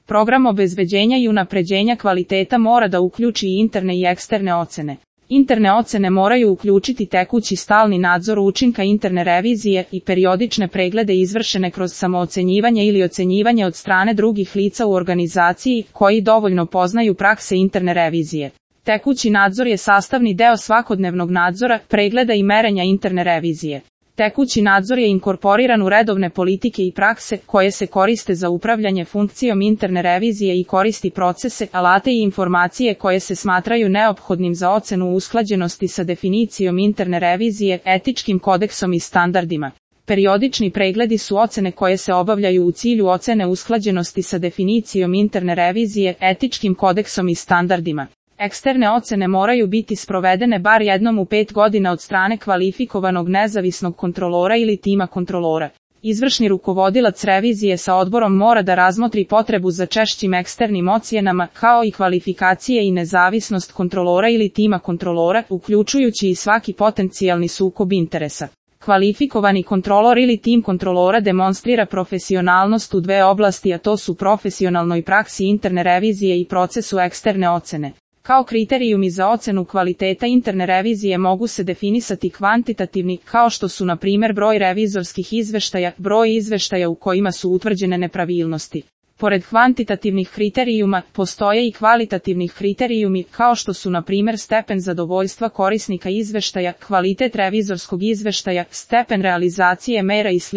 Program obezbeđenja i unapređenja kvaliteta mora da uključi i interne i eksterne ocene. Interne ocene moraju uključiti tekući stalni nadzor učinka interne revizije i periodične preglede izvršene kroz samoocenjivanje ili ocenjivanje od strane drugih lica u organizaciji koji dovoljno poznaju prakse interne revizije. Tekući nadzor je sastavni deo svakodnevnog nadzora, pregleda i merenja interne revizije. Tekući nadzor je inkorporiran u redovne politike i prakse koje se koriste za upravljanje funkcijom interne revizije i koristi procese, alate i informacije koje se smatraju neophodnim za ocenu usklađenosti sa definicijom interne revizije, etičkim kodeksom i standardima. Periodični pregledi su ocene koje se obavljaju u cilju ocene usklađenosti sa definicijom interne revizije, etičkim kodeksom i standardima. Eksterne ocene moraju biti sprovedene bar jednom u 5 godina od strane kvalifikovanog nezavisnog kontrolora ili tima kontrolora. Izvršni rukovodilac revizije sa odborom mora da razmotri potrebu za češćim eksternim ocjenama, kao i kvalifikacije i nezavisnost kontrolora ili tima kontrolora, uključujući i svaki potencijalni sukob interesa. Kvalifikovani kontrolor ili tim kontrolora demonstrira profesionalnost u dve oblasti, a to su profesionalnoj praksi interne revizije i procesu eksterne ocene. Kao kriterijumi za ocenu kvaliteta interne revizije mogu se definisati kvantitativni, kao što su na primjer broj revizorskih izveštaja, broj izveštaja u kojima su utvrđene nepravilnosti. Pored kvantitativnih kriterijuma, postoje i kvalitativnih kriterijumi, kao što su na primjer stepen zadovoljstva korisnika izveštaja, kvalitet revizorskog izveštaja, stepen realizacije mera i sl.